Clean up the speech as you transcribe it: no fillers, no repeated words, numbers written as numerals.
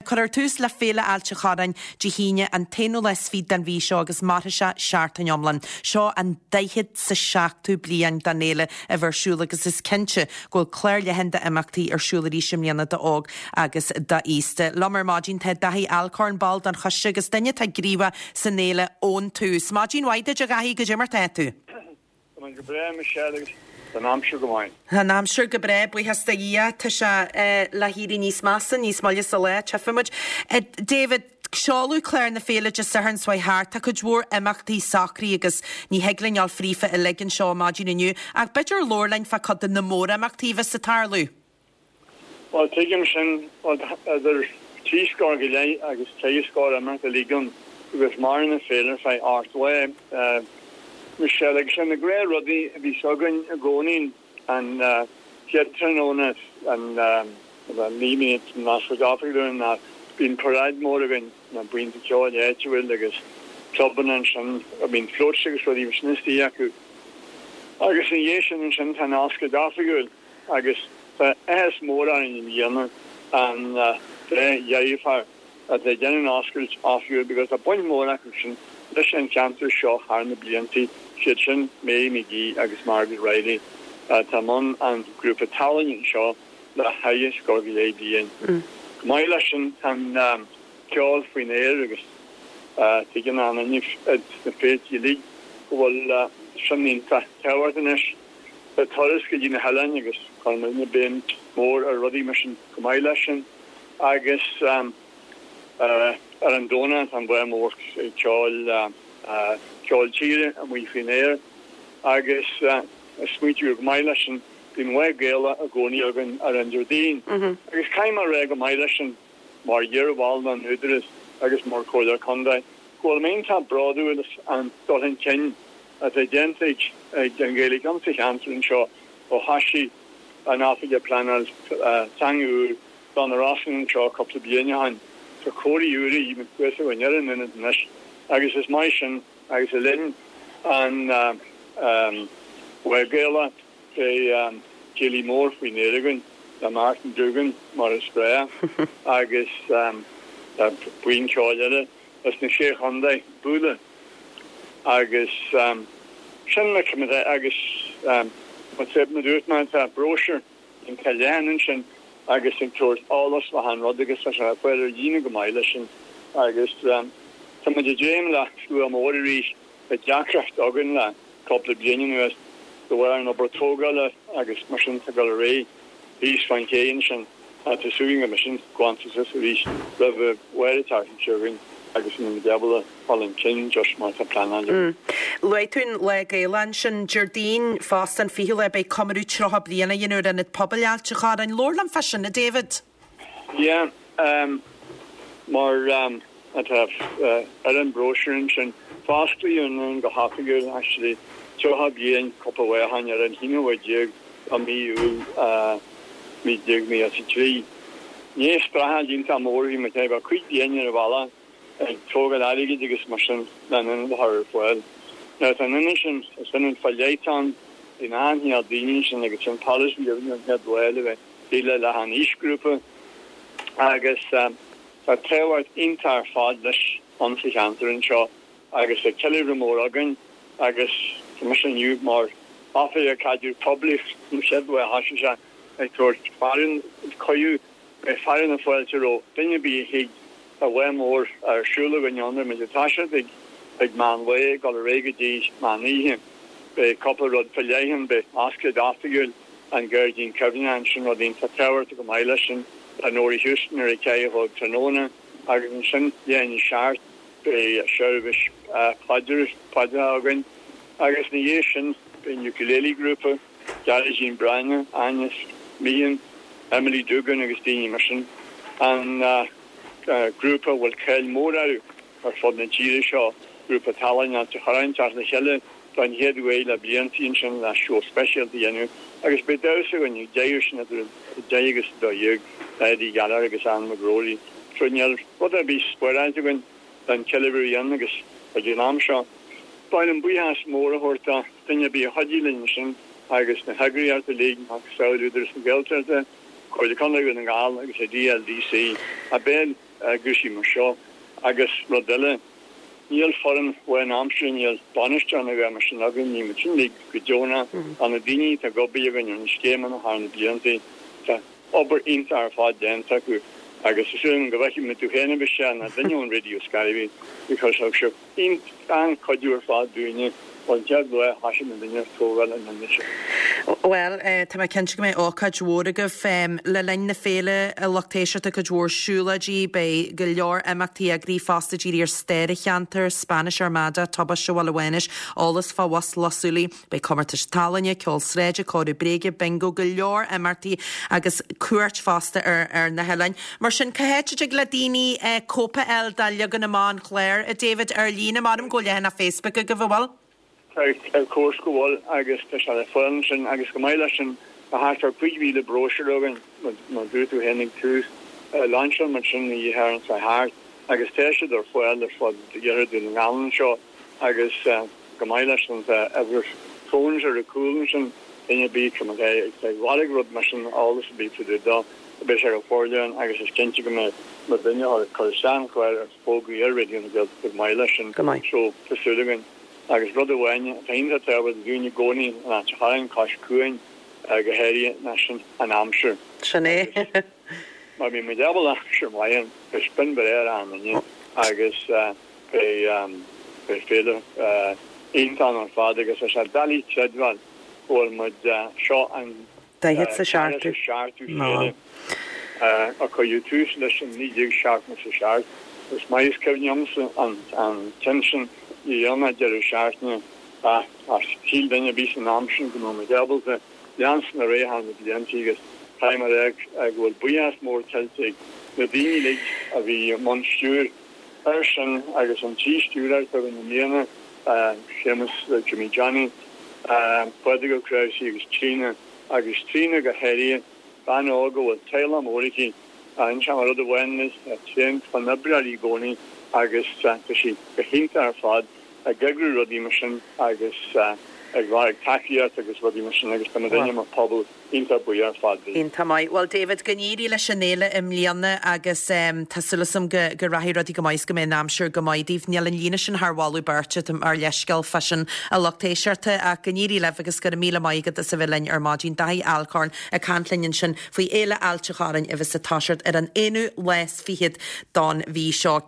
Cuirfear tús le Féile Ailt a' Chorráin Dé hAoine an t-aonú lá is fichead den mhí seo agus mairfidh sé seachtain iomlán. Seo an daichead 's a seachtú bliain don fhéile a bheith ar siúl agus is cinnte go bhfuil clár leathan d'imeachtaí ar siúl arís i mbliana d'óg agus d'aosta. Liom ar maidin tá Daithí Alcorn, ball den choiste agus duine atá gníomhach san fhéile ón tús. Maidin mhaith duit a Dhaithí, goidé mar tá tú? Tá mé go breá, Michelle, agus tá an aimsir go maith. Tá an aimsir go breá, buíochas do Dhia. Tá sé le héirí níos measa, níos moille sa lá, tchífidh muid. David, seoladh clár na féile Dé Sathairn seo chuaigh thart. Tá cuid mhór imeachtaí socraithe agus ní thig linn dul fríofa uilig anseo maidin inniu, ach b'fhéidir labhair linn fá cuid de na mórimeachtaí a bheas ag tarlú. Bhuel, tuigim sin, bhuel, idir thrí scór go leith agus ceithre scór imeacht uilig ann agus maireann an féile ar feadh ocht lá. Michelle, Agus sé na gnáthrudaí a bhíos againn i gcónaí, an chéad tráthnóna, an naoi an oscailt oifigiúil ná bíonn paráid mór againn, na buíonta ceoil áitiúil agus clubanna ansin, bíonn floats agus rudaí mar sin istigh acu. Agus ina dhiaidh sin ansin tá an oscailt oifigiúil. Agus tá áthas mór orainn i mbliana an dá dheirfiúr atá ag déanamh an oscailt oifigiúil because tá baint mhór acu sin leis an cheantar seo thar na blianta, siad sin Mary McGee agus Margaret Reilly atá i mbun an grúpa tallainne anseo le ceithre scór go leith bliain. Chomh maith leis sin tá an ceol faoin aer agus tuigeann achan duine sna féilte uilig go bhfuil sin iontach tábhachtach anois. Tá turas go dtí na hoileáin agus cuireann muidne béim mór ar rudaí mar sin chomh maith leis sin. Agus ar an Domhnach tá an Bhá Mór ag ceol ceol tíre amuigh faoin aer agus smaointiú chomh maith leis sin bíonn Lá Gaelach i gcónaí againn ar an Déardaoin. Agus caithfidh mé a rá chomh maith leis sin mar iar-bhall den Údarás agus mar Chomhairleoir Contae go bhfuil mé iontach bródúil as an dul chun cinn atá déanta ag an Ghaeilge insa cheantar anseo ó thoisigh an Oifigeach Pleanáil Teanga úr do na Rosann anseo cúpla bliain ó shin. Tá comharthaí úra thuas againn ar an ionad anois agus is maith sin agus le linn an Lá Gaelach beidh céilí mór faoin aer againn le Martin Duggan mar is breá agus tá buíon ceoil eile as na Sé Chontae bualadh. Agus sin na cimintí agus mar a dúirt mé tá bróisiúr iontach leathan ansin agus ag tabhairt eolas le hachan rud agus tá sé ar fáil ar líne go maith leis sin agus tá muid ag dréim le slua mór arís. Tá deacracht againn le cúpla bliain anuas de bharr an obair tógála agus mar sin tá ag dul ar aghaidh thíos fán ché ansin. Tá súil agam go mbeidh sin glanta suas arís roimh an Mháirt an tseachtain seo chugainn agus go mbeidh muid ábalta dul chun cinn just mar atá pleanáilte againn. Luaigh tú an Lá Gaelach ansin. Déardaoin fosta, an 20ú lá, beidh comóradh 30 bliain á dhéanamh ar Ionad Pobail Ailt a' Chorráin. Labhair liom fá sin, a David. Yeah, mar atá ar an bróisiúr ansin, fosclaíodh an ionad go hoifigiúil actually 30 bliain cúpla lá ó shin ar an haonú lá déag de mhí Iúil 1993. Ní streachailt iontach mór a bhí muid ag bheith cuid bliain ar an bhealach ag tógáil airgid agus mar sin le an ionad a chur ar fáil. Now tá an ionad sin, is ionad fá leith atá ann, bíonn an-chineál daoine ansin agus sin polasaí a bhí ón chéad lá le bheith déileáil le achan aoisghrúpa agus tá tábhacht iontach ar fad leis ann sa cheantar anseo agus tá ceiliúradh mór againn agus tá mise inniu mar Oifigeach Caidreamh Poiblí ón chéad lá a thosaigh sé ag tabhairt fearadh cuireadh beidh fearadh na fáilte roimh duine ar bith a thig tá lá mór ar siúl againn ann beidh muid ag toiseacht ag ag meán lae ag dul ar aghaidh go dtí meán oíche beidh cúpla rud fá leith ann beidh oscailt oifigiúil an Gairdín Cuimhneacháin, sin rud iontach tábhachtach chomh maith leis sin le Norrie Houston ar a ceathair a chlog tráthnóna agus ansin leath i ndiaidh a seacht beidh seirbhís paidreacha againn agus ina dhiaidh sin beidh an Ukulele Grúpa, Gearóidín Breathnach, Áine Meehan, Emily Duggan agus daoine mar sin, an grúpa a bhfuil cáil mhór orthu ar fud na tíre seo, grúpa tallainne Ailt a' Chorráin teacht le chéile don chéad uair le blianta ansin le seó speisialta a dhéanamh agus beidh damhsa againn ag deireadh sin idir 10 agus 12 le Eddie Gallagher agus Anne McGrory. So níl rud ar bith spáráilte againn don cheiliúradh a dhéanamh agus ag an am seo ba mhaith liom buíochas mór a thabhairt do duine ar bith a chuidigh linn ansin agus na heagraíochtaí uilig, macasamhail Údarás na Gaeltachta. Comhairle Contae Dhún na nGall agus ag DLDC a bheith ag cúrsaí mar seo agus rud eile, níl foireann lánaimseartha, níl bainisteoir nó a dhath mar sin againn, níl muid sin uilig go deonach, tá na daoine atá ag obair againn ar na scéimeanna thar na blianta, tá obair iontach ar fad déanta acu agus is dóigh liom go bhfeicfidh mé tú féin a Mhichelle nó duine ón Radio Scairbí because thug sibh An-chuidiú ar fad dúinne ón chéad lá a thoisigh na daoine ag tógáil an ionaid seo. Bhuel, tá mé cinnte go mbeidh ócáid mhór agaibh le linn na féile, a lucht éisteachta, cuid mhór siúlóidí, beidh go leor imeachtaí eagraithe fosta dírithe ar stair an cheantair, Spanish Armada, Tubaiste Bhaile Mhánais, eolas fá Bhus Lios Úllaí. Beidh comórtais tallainne, ceol sráide, comhaireamh bréige, bingo, go leor imeachtaí agus cuairt fosta ar na hoileáin. Mar sin, cá háit a dtig le daoine cóip a fháil de leagan amach an chláir, a David, ar líne? Measaim go bhfuil leathanach Facebook agaibh, an bhfuil? Tá, of course go bhfuil agus tá sé le fáil ansin agus chomh maith leis sin tá thart ar 5,000 bróisiúr againn, mar a dúirt tú féin ag tús. Lainseáil muid sin an oíche Shathairn seo thart agus tá siad ar fáil ar fud iarthar Dhún na nGall anseo. Agus chomh maith leis sin tá uimhir fóin ar an gcúl ansin, duine ar bith atá ag lorg rud mar sin, eolas ar bith fá dtaobh dó, beidh sé go forleathan agus is cinnte go mbeidh mo dhuine a ag cur isteach an chláir ar fógraí ar Raidió na Gaeltachta chomh maith leis sin. Go maith. So, tá súil againn. Agus rud amháin atá iontach tábhachtach dúinn i gcónaí in Ailt an Chorráin, cois cuain go háirithe, ná sin an aimsir. Sin é. Agus má bhíonn muid ábalta aimsir mhaith ann, beidh spion breá ar achan duine agus. Beidh féile iontach ann ar fad agus tá sé doiligh creidbheáil go bhfuil muid, seo an 47ú féile a cuireadh tús leis in 1977. Is maith is cuimhin liomsa an ceann sin dheireanach deireadh seachtaine ach shíl duine ar bith san am sin go mbeadh muid ábalta leanstan ar aghaidh thar na blianta agus caithfidh mé a rá go bhfuil buíochas mór tuillte ag na daoine uilig a bhí i mbun stiúir air sin agus an trí stiúrthóir atá againn i mbliana, Séamus Jimmy Johnny, Pádraig Ó Cnáimhsí agus Tríona, agus Tríona go háirithe, bean óg a bhfuil teaghlach mór aici, inseoidh mé rud amháin di, tréan oibreoir í i gcónaí agus tá sí go hiontach ar fad ag eagrú rudaí mar sin agus ag lorg tacaíocht agus rudaí mar sin agus tá muidinne mar phobal Iontach buíoch ar fad di. Iontach maith. Bhuel David, go n-éirí leis an fhéile i mbliana agus tá súil agam go go rachaidh rudaí go maith is go mbeidh an aimsir go maith daoibh. Níl an líne sin thar mholadh beirte, tá ár leithscéal fá sin a lucht éisteachta ach go n-éirí libh agus go raibh míle maith agat as a bheith linn ar maidin. Daithí Alcorn ag caint linn ansin faoi Fhéile Ailt an Chorráin a bheas ag toiseacht ar an aonú lá is fichead don mhí seo.